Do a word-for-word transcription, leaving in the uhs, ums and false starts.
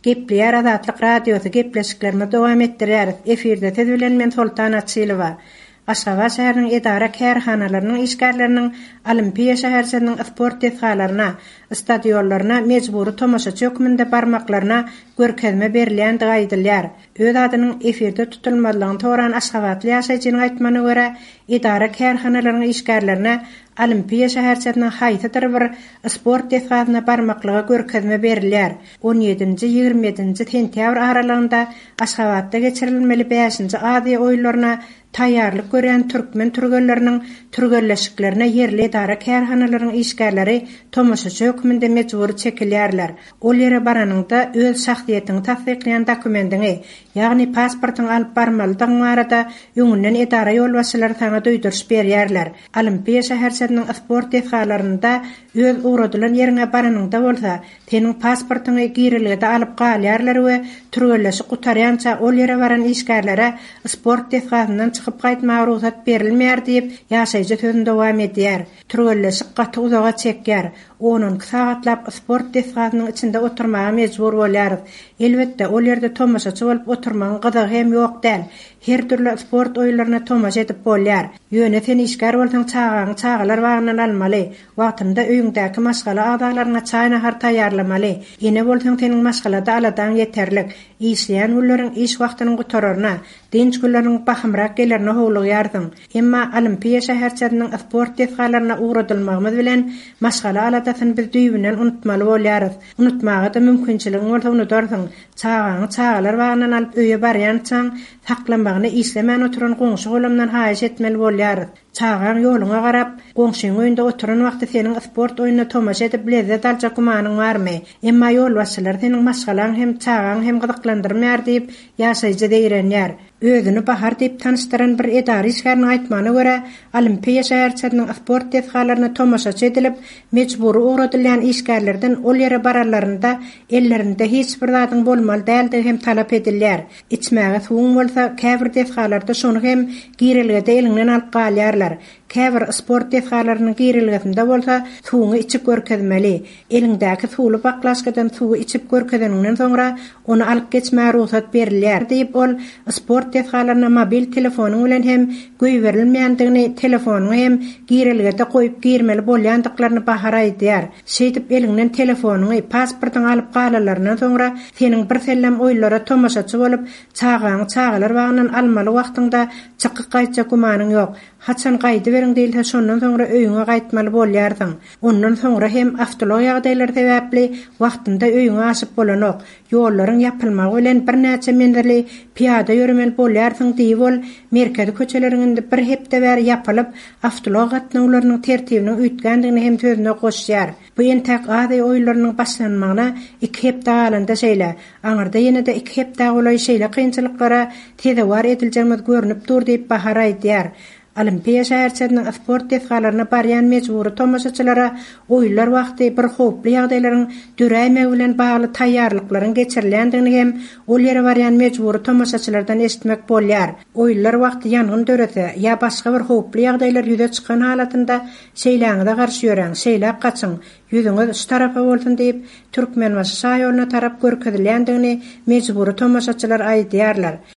Gepleýär Azatlyk Radiosy, gepleşiklerimizi dowam etdirýäris. Efirde siz bilen men Soltan Açylowa. Aşgabat şäheriniň edara-kärhanalarynyň işgärleriniň Olimpiýa şäherçesiniň sport desgalaryna, stadionlaryna mejbury tomaşaçy hökmünde barmaklaryna görkezme berilýändigi aýdylýar. Öz adynyň efirde tutulmazlygyny soran aşgabatly ýaşaýjynyň aýtmagyna görä, edara-kärhanalaryň işgärlerine Olimpiýa şäherçesiniň haýsydyr bir sport desgasyna barmaklyga görkezme berilýär. On ýedinji, ýigrimi ýedinji sentýabr aralygynda Aşgabatda geçirilmeli bäşinji Aziýa oýunlaryna taýýarlyk görýän türkmen türgenleriniň türgenleşiklerine ýerli edara-kärhanalaryň işgärleri tomaşaçy hökmünde mejbury çekilýärler. Ol ýere baranyňda öz şahsyýetiňi tassyklaýan dokumendiňi, ýagny pasportyňy alyp barmalydygyň barada öňünden edara ýolbaşçylary saňa duýduryş berýärler. Olimpiýa şäherçesiniň sport desgalarynda öz ugradylan ýeriňe baranyňda bolsa, seniň pasportyňy girelgede alyp galýarlar we türgenleşik gutarýança ol ýere baran işgärlere sport desgasyndan çykyp gaýtmaga rugsat berilmeýär diýip, ýaşaýjy sözüni dowam edýär. Türgenleşik gaty uzaga çekýär. On-on iki sagatlap sport desgasynyň içinde oturmaga mejbur bolýarys. Elbetde, ol ýerde tomaşaçy bolup oturmagyň gyzygy hem ýok däl. Her dürli sport oýunlaryna tomaşa edip bolýar. Ýöne sen işgär bolsaň çagaňy çagalar bagyndan almaly, wagtynda öýüňdäki maşgala agzalaryňa çaý-nahar taýýarlamaly. Ene bolsaň seniň maşgalada aladaň ýeterlik. Işleýän günleriň iş wagtynyň gutararyna, dynç günleriniň bahymrak gelerine howlugýarsyň. Emma Olimpiýa şäherçesiniň sport desgalaryna ugradylmagymyz bilen maşgala aladasyny biz düýbünden unutmaly bolýarys. Unutmaga-da mümkinçiligiň bolsa unudarsyň. Çagaňy çagalar bagyndan alyp öýe barýançaň, saklamagyny işlemän oturan goňşy-golamdan haýyş etmeli bolýarys. Çagaň ýoluňa garap, goňşyň öýünde oturan wagty seniň sport oýnuna tomaşa edip lezzet aljak gümanyň barmy? Emma ýolbaşçylar seniň maşgalaň hem, çagaň hem gyzyklandyrmaýar diýip, ýaşaýjy zeýrenýär. Özüni Bahar diýip tanyşdyran bir edara işgäriniň aýtmagyna görä, Olimpiýa şäherçesiniň sport desgalaryna tomaşaçy edilip, mejbury ugradylýan işgärlerden ol ýere baranlarynda ellerinde hiç bir zadyň bolmaly däldigi hem talap edilýär. Içmäge suwuň bolsa, käbir desgalarda şony hem girelgede eliňden alyp galýarlar. Käbir sport desgalarynyň girelgesinde bolsa suwuňy içip görkezmeli. Eliňdäki suwly baklaşkadan suwy içip görkezeniňden soňra ony alyp geçmäge rugsat berilýär diýip, ol sport desgalaryna mobil telefonyň bilen hem goýberilmeýändigini, telefonyňy hem girelgede goýup girmeli bolýandyklaryny Bahar aýdýar. Şeýdip eliňden telefonyňy, pasportyňy alyp galanlaryndan soňra seniň bir sellem oýunlara tomaşaçy bolup, çagaňy çagalar bagyndan almaly wagtyňda çykyp gaýtjak gümanyň ýok. Haçan gaýdyberiň diýilse, şondan soňra öýüňe gaýtmaly bolýarsyň. Ondan soňra hem awtoulag ýagdaýlary sebäpli wagtynda öýüňe aşyp bolanok. Ýollaryň ýapylmagy bilen birnäçe menzili pyýada ýöremeli bolýarsyň diýip ol, merkezi köçeleriň indi bir hepde bäri ýapylyp, awtoulag gatnawlarynyň tertibiniň üýtgändigini hem sözüne goşýar. Bu entäk Aziýa oýunlarynyň başlanmagyna iki hepde galanda şeýle. Aňyrda ýene-de iki hepdä golaý şeýle kynçylyklara sezewar ediljegimiz görnüp dur diýip Bahar aýdýar. Olimpiýa şäherçesiniň sport desgalaryna barýan mejbury tomaşaçylara oýunlar wagty bir howply ýagdaýlaryň döräýmegi bilen bagly taýýarlyklaryň geçirilýändigini hem ol ýere barýan mejbury tomaşaçylardan eşitmek bolýar. Oýunlar wagty ýangyn dörese ýa başga bir howply ýagdaýlar ýüze çykan halatynda şeýläňize garşy ýöräň, şeýläk gaçyň, ýüzüňiz şu tarapa bolsun diýip, Türkmenbaşy şaýoluna tarap görkezilýändigini mejbury tomaşaçylar aýdýarlar.